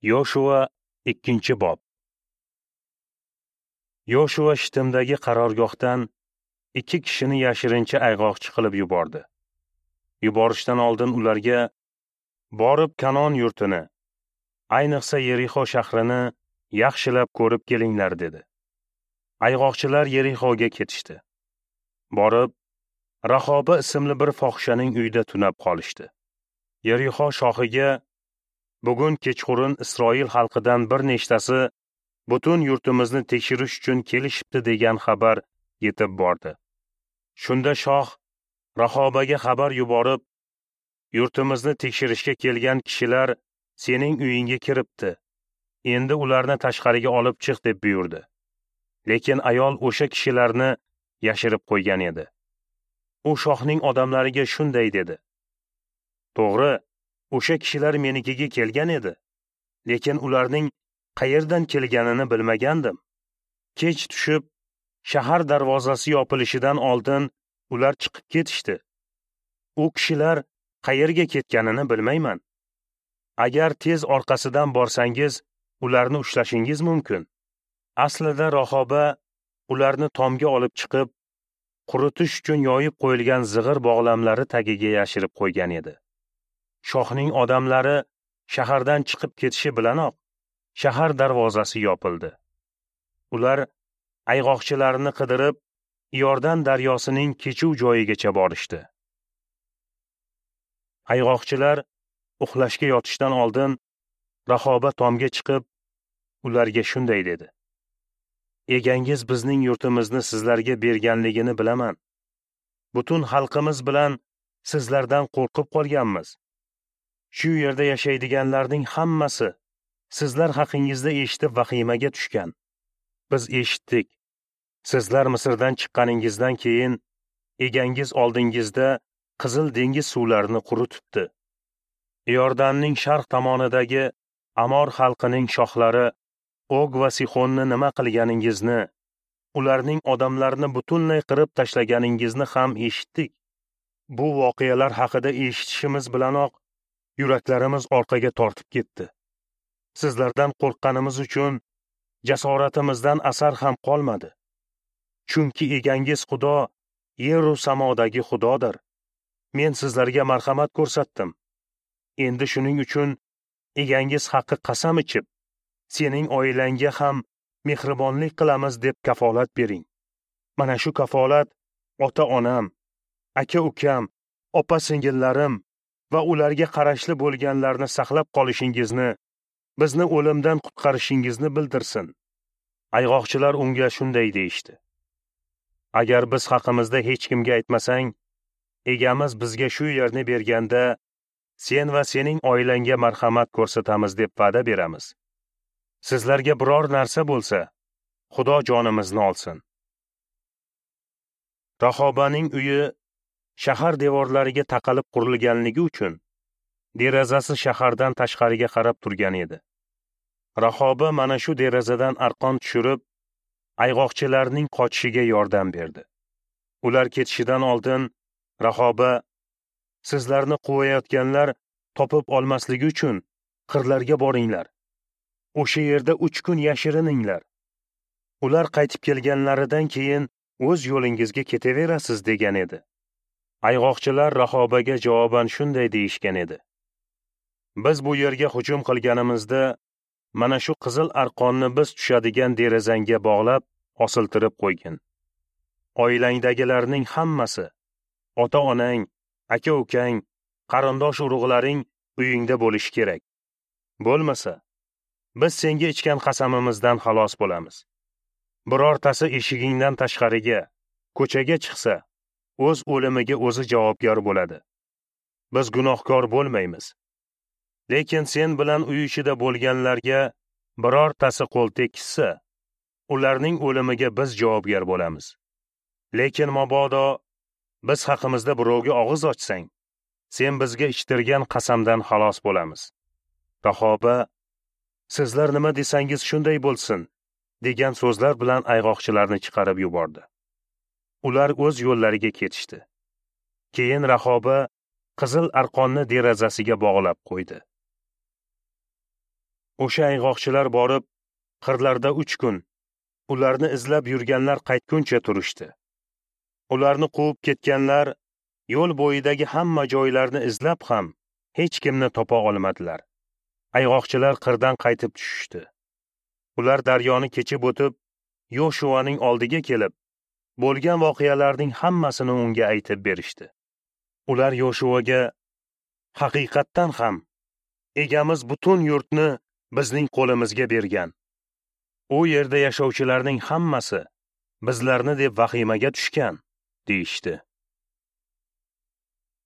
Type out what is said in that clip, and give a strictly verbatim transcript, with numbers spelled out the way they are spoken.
Yoshua ikkinchi bob. Yoshua Shittimdagi qarorgohdan ikki kishini yashirincha ayg'oqchi qilib yubordi. Yuborishdan oldin ularga borib Kanon yurtini, ayniqsa Yerixo shahrini yaxshilab ko'rib kelinglar dedi. Ayg'oqchilar Yerixoga ketishdi. Borib Rahoba ismli bir fohishaning uyida tunab qolishdi. Yerixo shohiga bugun kechqurun Isroil xalqidan bir nechtasi butun yurtimizni tekshirish uchun kelishibdi degan xabar yetib bordi. Shunda shoh Rahobaga xabar yuborib, yurtimizni tekshirishga kelgan kishilar sening uyingga kiribdi. Endi ularni tashqariga olib chiq deb buyurdi. Lekin ayol o'sha kishilarni yashirib qo'ygan edi. U shohning odamlariga shunday dedi: To'g'ri, o'sha kishilar menikiga kelgan edi, lekin ularning qayerdan kelganini bilmagandim. Kech tushib, shahar darvozasi yopilishidan oldin ular chiqib ketishdi. U kishilar qayerga ketganini bilmayman. Agar tez orqasidan borsangiz, ularni ushlashingiz mumkin. Aslida Rahoba ularni tomga olib chiqib, quritish uchun yoyib qo'yilgan zig'ir bog'lamlari tagiga yashirib qo'ygan edi. Shohning odamlari shahardan chiqib ketishi bilanoq shahar darvozasi yopildi. Ular ayg'oqchilarni qidirib, Iordan daryosining kechuv joyigacha borishdi. Ayg'oqchilar uxlashga yotishdan oldin Rahoba tomga chiqib, ularga shunday dedi: Egangiz bizning yurtimizni sizlarga berganligini bilaman. Butun xalqimiz bilan sizlardan qo'rqib qolganmiz. Shu yerda yashaydiganlarning hammasi sizlar haqingizda eshitib vahimaga tushgan. Biz eshitdik. Sizlar Misrdan chiqqaningizdan keyin egangiz oldingizda Qizil dengiz suvlarini quritibdi. Iordanning sharq tomonidagi Amor xalqining shohlari Og va Sixonni nima qilganingizni, ularning odamlarini butunlay qirib tashlaganingizni ham eshitdik. Bu voqealar haqida eshitishimiz bilanoq yuraklarimiz orqaga tortib ketdi. Sizlardan qo'rqqanimiz uchun jasoratimizdan asar ham qolmadi. Chunki egangiz Xudo yer-u samodagi Xudodir. Men sizlarga marhamat ko'rsatdim. Endi shuning uchun egangiz haqqi qasam ichib, sening oilangga ham mehribonlik qilamiz deb kafolat bering. Mana shu kafolat ota-onam, aka-ukam, opa-singillarim va ularga qarashli bo'lganlarni saqlab qolishingizni, bizni o'limdan qutqarishingizni bildirsin. Ayg'oqchilar unga shunday deyishdi: Agar biz haqimizda hech kimga aytmasang, egamiz bizga shu yerni berganda sen va sening oilangga marhamat ko'rsatamiz deb va'da beramiz. Sizlarga biror narsa bo'lsa, Xudo jonimizni olsin. Rahobaning uyi shahar devorlariga taqalib qurilganligi uchun derazasi shahardan tashqariga qarab turgan edi. Rahoba mana shu derazadan arqon tushirib, ayg'oqchilarning qochishiga yordam berdi. Ular ketishidan oldin Rahoba sizlarni quvayotganlar topib olmasligi uchun qirlarga boringlar. O'sha yerda uch kun yashirininglar. Ular qaytib kelganlaridan keyin o'z yo'lingizga ketaverasiz degan edi. Ayg'oqchilar Rahobaga javoban shunday deyishgan edi: Biz bu yerga hujum qilganimizda mana shu qizil arqonni biz tushadigan derazangga bog'lab osiltirib qo'ygin. Oilangdagilarning hammasi, ota-onang, aka-ukang, qarindosh urug'laring uyingda bo'lishi kerak. Bo'lmasa, biz senga ichgan qasamimizdan xalos bo'lamiz. Birortasi eshigingdan tashqariga, ko'chaga chiqsa, o'z o'limiga o'zi javobgar bo'ladi. Biz gunohkor bo'lmaymiz. Lekin sen bilan uy ichida bo'lganlarga birortasi qo'l tekkizsa, ularning o'limiga biz javobgar bo'lamiz. Lekin mabodo biz haqimizda birovga og'iz ochsang, sen bizga ichtirgan qasamdan xalos bo'lamiz. Rahoba sizlar nima desangiz shunday bo'lsin degan so'zlar bilan ayg'oqchilarni chiqarib yubordi. Ular o'z yo'llariga ketishdi. Keyin Rahoba qizil arqonni derazasiga bog'lab qo'ydi. O'sha ayg'oqchilar borib, qirlarda uch kun ularni izlab yurganlar qaytguncha turishdi. Ularni quvib ketganlar yo'l bo'yidagi hamma joylarni izlab ham hech kimni topa olmadilar. Ayg'oqchilar qirdan qaytib tushishdi. Ular daryoni kechib o'tib, Yoshuaning oldiga kelib, bo'lgan voqealarning hammasini unga aytib berishdi. Ular Yoshuaga: "Haqiqatdan ham egamiz butun yurtni bizning qo'limizga bergan. U yerda yashovchilarning hammasi bizlarni deb vahimaga tushgan", deyishdi.